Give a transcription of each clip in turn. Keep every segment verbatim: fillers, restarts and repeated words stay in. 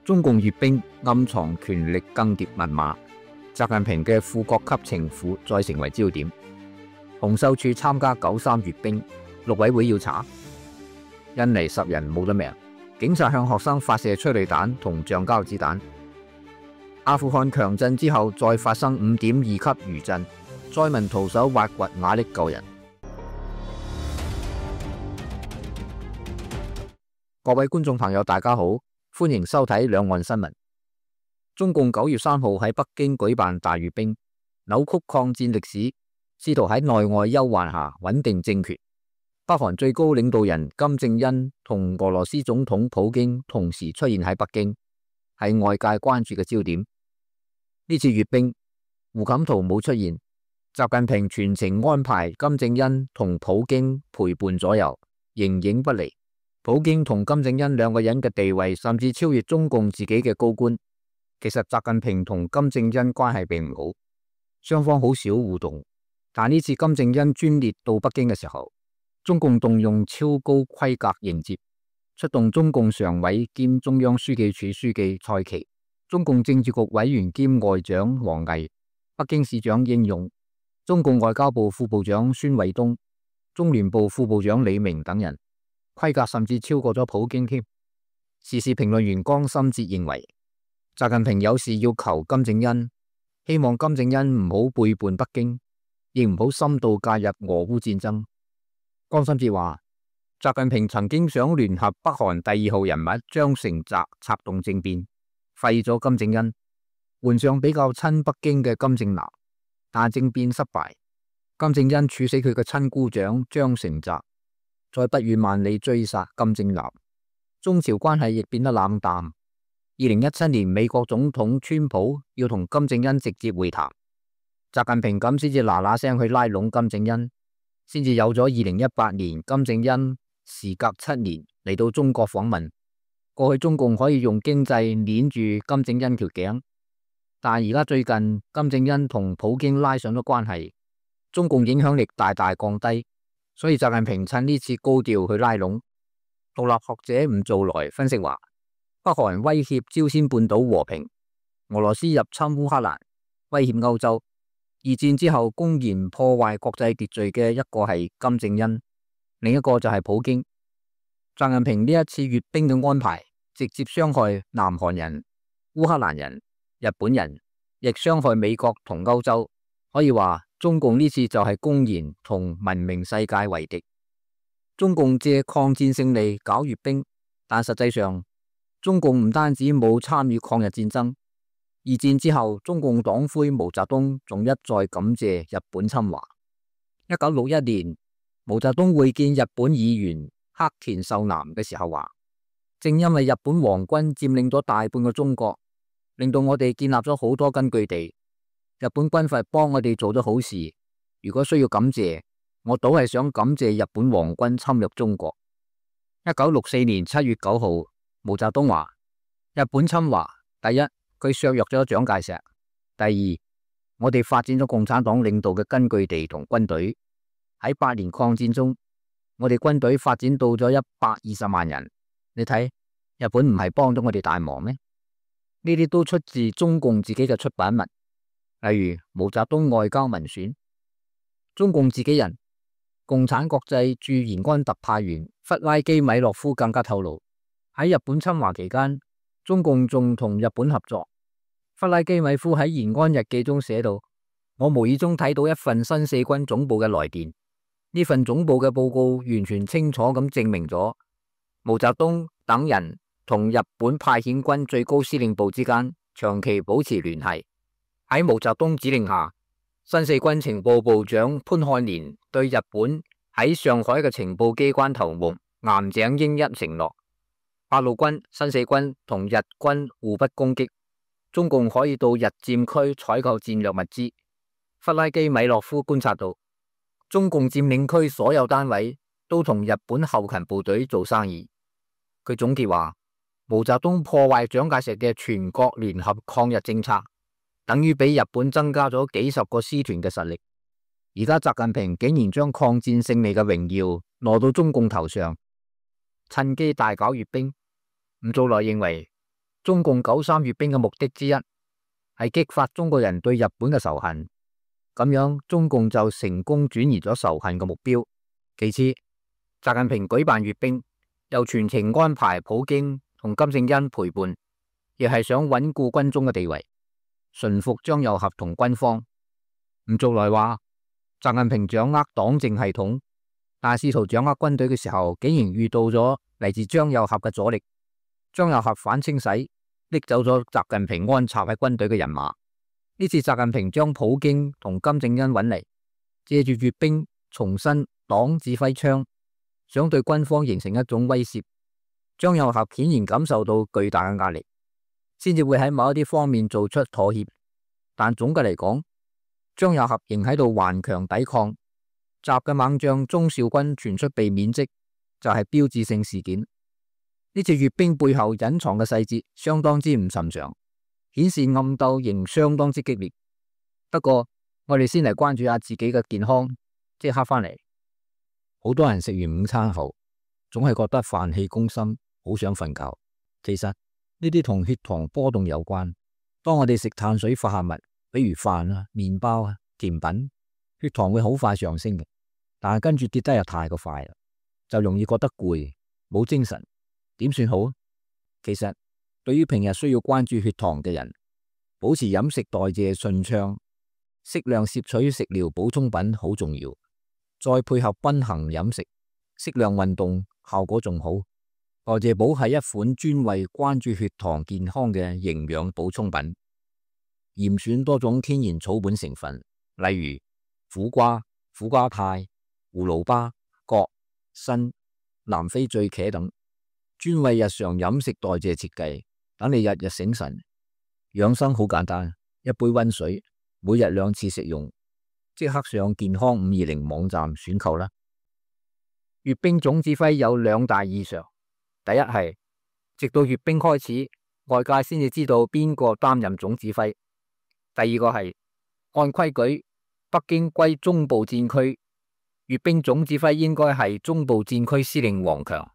中共閱兵暗藏權力更迭密碼，習近平嘅副國級情婦再成為焦點。洪秀柱參加九三閱兵，陸委會要查。印尼十人冇得命，警察向學生發射催淚彈同橡膠子彈。阿富汗強震之後，再發生五點二級餘震，災民徒手挖掘瓦礫救人。各位觀眾朋友，大家好，歡迎收睇兩岸新聞。中共九月三號喺北京舉辦大閱兵，扭曲抗戰歷史，試圖喺內外憂患下穩定政權。北韓最高領導人金正恩同俄羅斯總統普京同時出現喺北京，係外界關注嘅焦點。呢次閱兵，胡錦濤冇出現，習近平全程安排金正恩同普京陪伴左右，形影不離。普京同金正恩兩個人嘅地位甚至超越中共自己嘅高官。其實習近平同金正恩關係並唔好，雙方好少互動。但呢次金正恩專列到北京嘅時候，中共動用超高規格迎接，出動中共常委兼中央書記處書記蔡奇、中共政治局委員兼外長王毅、北京市長應勇、中共外交部副部長孫衛東、中聯部副部長李明等人。規格甚至超過咗普京添。時事評論員江心哲認為，習近平有事要求金正恩，希望金正恩唔好背叛北京，亦唔好深度介入俄烏戰爭。江心哲話，習近平曾經想聯合北韓第二號人物張成澤策動政變，廢咗金正恩，換上比較親北京嘅金正男，但政變失敗，金正恩處死佢嘅親姑丈張成澤，再不遠萬里追殺金正男，中朝關係亦變得冷淡。二零一七年，美國總統川普要同金正恩直接會談，習近平咁先至嗱嗱聲去拉攏金正恩，先至有咗二零一八年金正恩時隔七年嚟到中國訪問。過去中共可以用經濟捏住金正恩條頸，但而家最近金正恩同普京拉上咗關係，中共影響力大大降低。所以習近平趁呢次高調去拉攏。獨立學者吳造來分析話，北韓威脅朝鮮半島和平，俄羅斯入侵烏克蘭，威脅歐洲。二戰之後公然破壞國際秩序嘅一個係金正恩，另一個就係普京。習近平呢一次閱兵嘅安排，直接傷害南韓人、烏克蘭人、日本人，亦傷害美國同歐洲。可以話，中共呢次就係公然同文明世界為敵。中共借抗戰勝利搞閱兵，但實際上中共唔單止冇參與抗日戰爭，二戰之後中共黨魁毛澤東仲一再感謝日本侵華。一九六一年，毛澤東會見日本議員黑田壽男嘅時候話，正因為日本皇軍佔領咗大半個中國，令到我哋建立咗好多根據地。日本軍閥幫我哋做咗好事，如果需要感謝，我倒係想感謝日本皇軍侵略中國。一九六四年七月九號，毛澤東話：日本侵華，第一，佢削弱咗蔣介石；第二，我哋發展咗共產黨領導嘅根據地同軍隊。喺八年抗戰中，我哋軍隊發展到咗一百二十萬人。你睇，日本唔係幫咗我哋大忙咩？呢啲都出自中共自己嘅出版物。例如毛澤東外交文選，中共自己人共產國際駐延安特派員弗拉基米洛夫更加透露，喺日本侵華期間，中共仲同日本合作。弗拉基米夫喺延安日記中寫到，我無意中睇到一份新四軍總部嘅來電，呢份總部嘅報告完全清楚咁證明咗毛澤東等人同日本派遣軍最高司令部之間長期保持聯繫。喺毛澤東指令下，新四軍情報部長潘漢年對日本喺上海嘅情報機關頭目岩井英一承諾，八路軍、新四軍同日軍互不攻擊，中共可以到日佔區採購戰略物資。弗拉基米洛夫觀察到，中共佔領區所有單位都同日本後勤部隊做生意。佢總結話，毛澤東破壞蔣介石嘅全國聯合抗日政策，等於俾日本增加咗幾十個師團嘅實力。而家習近平竟然將抗戰勝利嘅榮耀攞到中共頭上，趁機大搞閱兵。吳造來認為，中共九三閱兵嘅目的之一係激發中國人對日本嘅仇恨，咁樣中共就成功轉移咗仇恨嘅目標。其次，習近平舉辦閱兵，又全程安排普京同金正恩陪伴，亦係想穩固軍中嘅地位，馴服張又俠同軍方。吳續來話，習近平掌握黨政系統，但係試圖掌握軍隊嘅時候，竟然遇到咗嚟自張又俠嘅阻力。張又俠反清洗，拎走咗習近平安插喺軍隊嘅人馬。呢次習近平將普京同金正恩揾嚟，借住閱兵重申黨指揮槍，想對軍方形成一種威懾。張又俠顯然感受到巨大嘅壓力，先至會喺某一啲方面做出妥協。但總嘅嚟講，張又俠仍喺度頑強抵抗。習嘅猛將鍾肇軍傳出被免職，就係標誌性事件。呢次閱兵背後隱藏嘅細節相當之唔尋常，顯示暗鬥仍相當之激烈。不過我哋先嚟關注下自己嘅健康。即刻返嚟，好多人食完午餐後，總係覺得飯氣攻心，好想瞓覺。其實呢啲同血糖波動有關。當我哋食碳水化合物，比如飯啊、麵包啊、甜品，血糖會好快上升嘅，但係跟住跌得又太過快啦，就容易覺得攰，冇精神。點算好？其實對於平日需要關注血糖嘅人，保持飲食代謝順暢，適量攝取食療補充品好重要。再配合均衡飲食，適量運動，效果仲好。代謝寶係一款專為關注血糖健康嘅營養補充品，嚴選多種天然草本成分，例如苦瓜、苦瓜肽、葫蘆巴、葛、參、南非醉茄等，專為日常飲食代謝設計，等你日日醒神。養生好簡單，一杯溫水，每日兩次食用。即刻上健康五二零網站選購啦！閱兵總指揮有兩大異常，第一係直到閱兵開始，外界先至知道邊個擔任總指揮；第二個係按規矩，北京歸中部戰區，閱兵總指揮應該係中部戰區司令王強，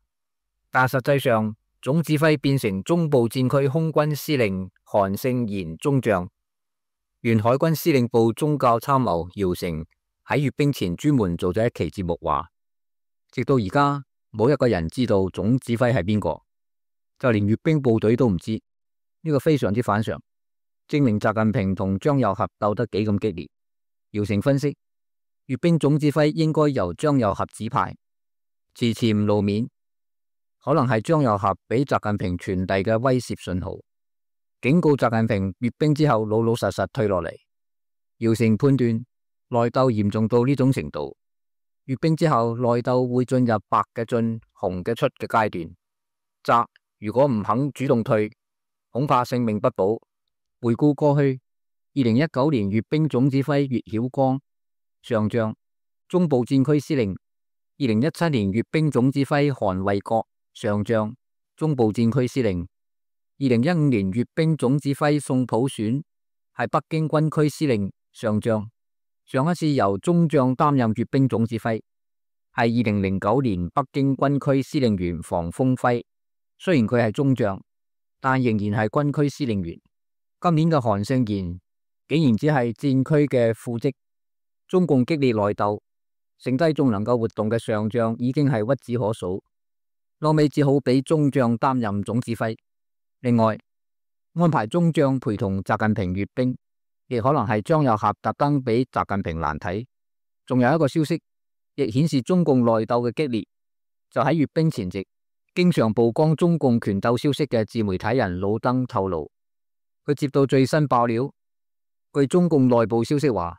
但實際上總指揮變成中部戰區空軍司令韓勝賢中將。原海軍司令部宗教參謀姚成喺閱兵前專門做咗一期節目，話直到而家冇一個人知道總指揮係邊個，就連閱兵部隊都唔知。呢個非常之反常，證明習近平同張又俠鬥得幾咁激烈。姚成分析，閱兵總指揮應該由張又俠指派，遲遲唔露面，可能係張又俠俾習近平傳遞嘅威懾信號，警告習近平閱兵之後老老實實退落嚟。姚成判斷內鬥嚴重到呢種程度，閱兵之後內鬥會進入白嘅進、紅嘅出嘅階段。習如果唔肯主動退，恐怕性命不保。回顧過去，二零一九年閱兵總指揮岳曉光上將，中部戰區司令；二零一七年閱兵總指揮韓衛國上將，中部戰區司令。二零一五年閱兵總指揮宋普選係北京軍區司令上將，上一次由中將擔任閱兵總指揮係二零零九年北京軍區司令員房峰輝，雖然佢係中將，但仍然係軍區司令員。今年嘅韓勝賢竟然只係戰區嘅副職。中共激烈內鬥，剩低仲能夠活動嘅上將已經係屈指可數，落尾只好俾中將擔任總指揮。另外，安排中將陪同習近平閱兵，亦可能係張又俠特登俾習近平難睇。仲有一個消息，亦顯示中共內鬥嘅激烈，就喺閱兵前夕，經常曝光中共權鬥消息嘅自媒體人老登透露，佢接到最新爆料，據中共內部消息話，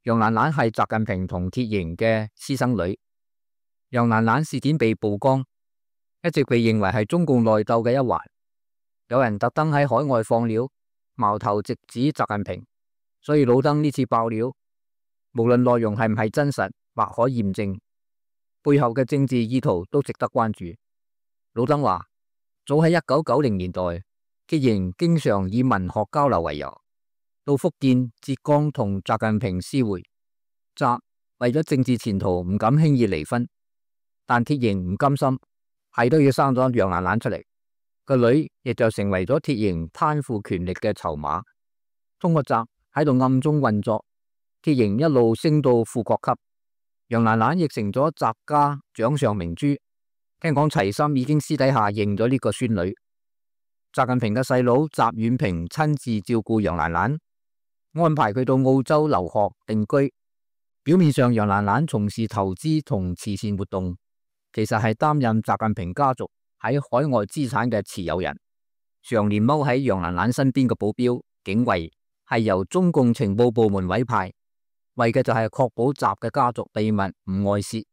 楊蘭蘭係習近平同鐵營嘅私生女。楊蘭蘭事件被曝光，一直被認為係中共內鬥嘅一環。有人特登喺海外放料，矛頭直指習近平，所以老登呢次爆料，無論內容係唔係真實或可驗證，背後嘅政治意圖都值得關注。老登話，早喺一九九零年代，鐵營經常以文學交流為由，到福建、浙江同習近平私會。習為咗政治前途唔敢輕易離婚，但鐵營唔甘心，係都要生咗楊蘭蘭出嚟。個女亦就成為咗鐵營貪腐權力嘅籌碼。通過習喺度暗中運作，鐵營一路升到副國級。楊蘭蘭亦成咗習家掌上明珠。聽講齊森已經私底下認咗呢個孫女。習近平嘅細佬習遠平親自照顧楊蘭蘭，安排佢到澳洲留學定居。表面上楊蘭蘭從事投資同慈善活動，其實係擔任習近平家族喺海外資產嘅持有人。常年踎喺楊蘭蘭身邊嘅保鏢警衛係由中共情報部門委派，為嘅就係確保習嘅家族秘密唔外泄。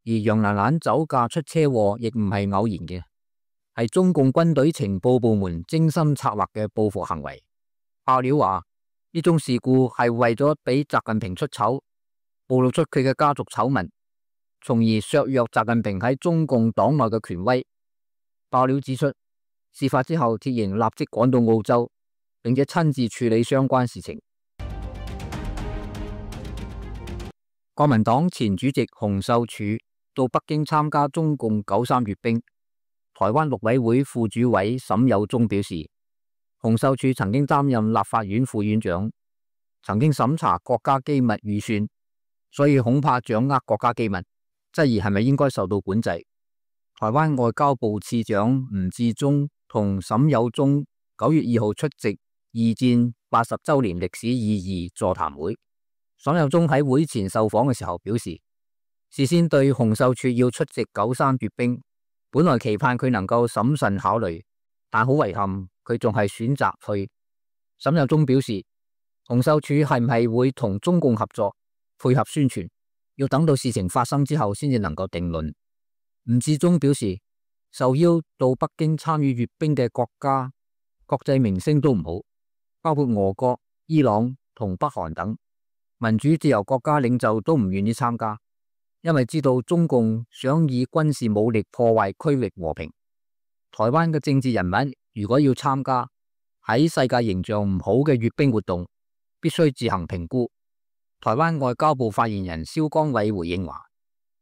而楊蘭蘭酒駕出車禍亦唔係偶然嘅，係中共軍隊情報部門精心策劃嘅報復行為。爆料話呢種事故係為咗俾習近平出醜，暴露出佢嘅家族醜聞，從而削弱習近平喺中共黨內嘅權威。爆料指出，事發之後，鐵營立即趕到澳洲，並且親自處理相關事情。國民黨前主席洪秀柱到北京參加中共九三閱兵。台灣陸委會副主委沈有忠表示，洪秀柱曾經擔任立法院副院長，曾經審查國家機密預算，所以恐怕掌握國家機密，質疑係咪應該受到管制。台灣外交部次長吳志忠同沈有忠九月二號出席二戰八十周年歷史意義座談會。沈有忠喺會前受訪嘅時候表示，事先對洪秀柱要出席九三閱兵，本來期盼佢能夠審慎考慮，但好遺憾佢仲係選擇去。沈有忠表示，洪秀柱係唔係會同中共合作配合宣傳，要等到事情發生之後先至能夠定論。吳志忠表示，受邀到北京參與閱兵嘅國家國際明星都唔好，包括俄國、伊朗同北韓等民主自由國家領袖都唔願意參加，因為知道中共想以軍事武力破壞區域和平。台灣嘅政治人物如果要參加喺世界形象唔好嘅閱兵活動，必須自行評估。台灣外交部發言人蕭江偉回應話，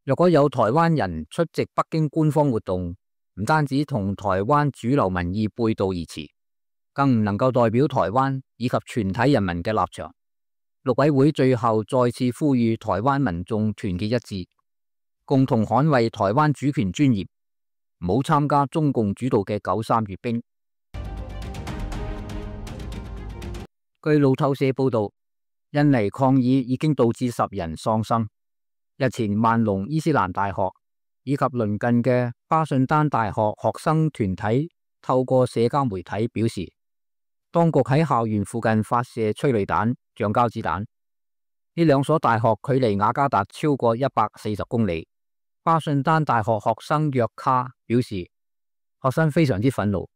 若果有台灣人出席北京官方活動，唔單止同台灣主流民意背道而馳，更唔能夠代表台灣以及全體人民嘅立場。陸委會最後再次呼籲台灣民眾團結一致，共同捍衛台灣主權尊嚴，唔好參加中共主導嘅九三閱兵。據路透社報道，印尼抗議已經導致十人喪生。日前，萬隆伊斯蘭大學以及鄰近嘅巴信丹大學學生團體透過社交媒體表示，當局喺校園附近發射催淚彈、橡膠子彈。呢兩所大學距離雅加達超過一百四十公里。巴信丹大學學生約卡表示，學生非常之憤怒，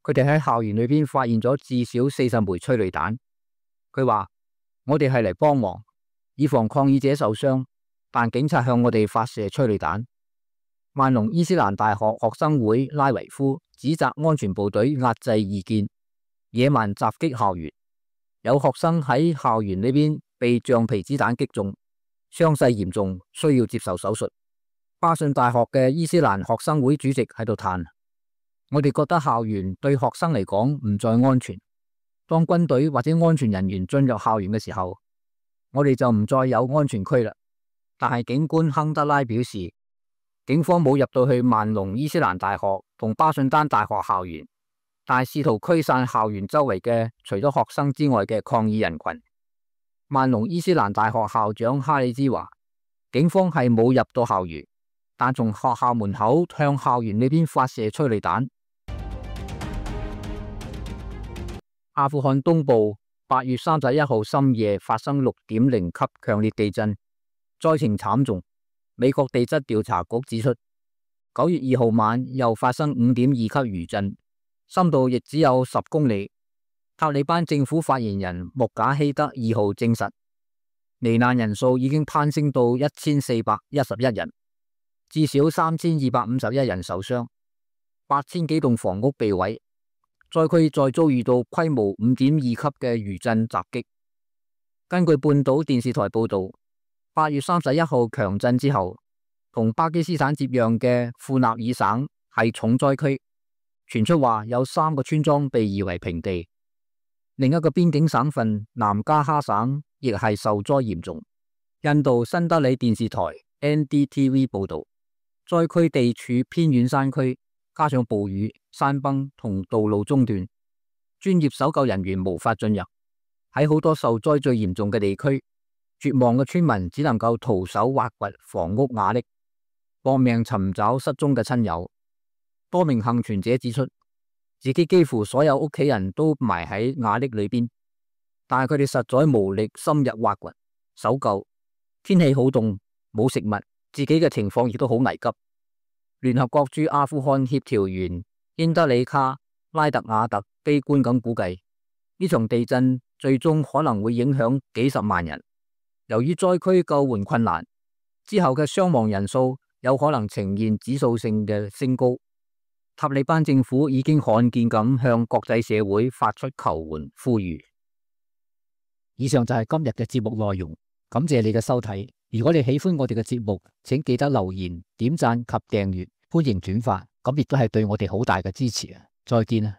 佢哋喺校園裏邊發現咗至少四十枚催淚彈。佢話：我哋係嚟幫忙，以防抗議者受傷，但警察向我哋發射催淚彈。萬隆伊斯蘭大學學生會拉維夫指責安全部隊壓制異見，野蠻襲擊校園。有學生喺校園呢邊被橡皮子彈擊中，傷勢嚴重，需要接受手術。巴信大學嘅伊斯蘭學生會主席喺度嘆：我哋覺得校園對學生嚟講唔再安全。當軍隊或者安全人員進入校園嘅時候，我哋就唔再有安全區啦。但係警官亨德拉表示，警方冇入到去萬隆伊斯蘭大學同巴信丹大學校園，但係試圖驅散校園周圍嘅除咗學生之外嘅抗議人群。萬隆伊斯蘭大學校長哈里茲話，警方係冇入到校園，但從學校門口向校園呢邊發射催淚彈。阿富汗東部八月三十一號深夜發生六點零級強烈地震，災情慘重。美國地質調查局指出，九月二號晚又發生五點二級餘震，深度亦只有十公里。塔利班政府發言人穆賈希德二號證實，罹難人數已經攀升到一千四百一十一人，至少三千二百五十一人受傷，八千幾棟房屋被毀，災區再遭遇到規模五點二級嘅餘震襲擊。根據半島電視台報道，八月三十一號強震之後，同巴基斯坦接壤嘅庫納爾省係重災區，傳出話有三個村莊被夷為平地。另一個邊境省份南加哈省亦係受災嚴重。印度新德里電視台 N D T V 報道，災區地處偏遠山區，加上暴雨、山崩同道路中斷，專業搜救人員無法進入。喺好多受災最嚴重嘅地區，絕望嘅村民只能夠徒手挖掘房屋瓦礫，搏命尋找失蹤嘅親友。多名幸存者指出，自己幾乎所有屋企人都埋喺瓦礫裏邊，但係佢哋實在無力深入挖掘搜救。天氣好凍，冇食物，自己嘅情況亦都好危急。聯合國駐阿富汗協調員英德里卡拉特亞特悲觀咁估計，呢場地震最終可能會影響幾十萬人。由於災區救援困難，之後嘅傷亡人數有可能呈現指數性嘅升高。塔利班政府已經罕見咁向國際社會發出求援呼籲。以上就係今日嘅節目內容，感謝你嘅收睇。如果你喜歡我哋嘅節目，請記得留言、點讚及訂閱，歡迎轉發，咁亦都係對我哋好大嘅支持啊！再見啊！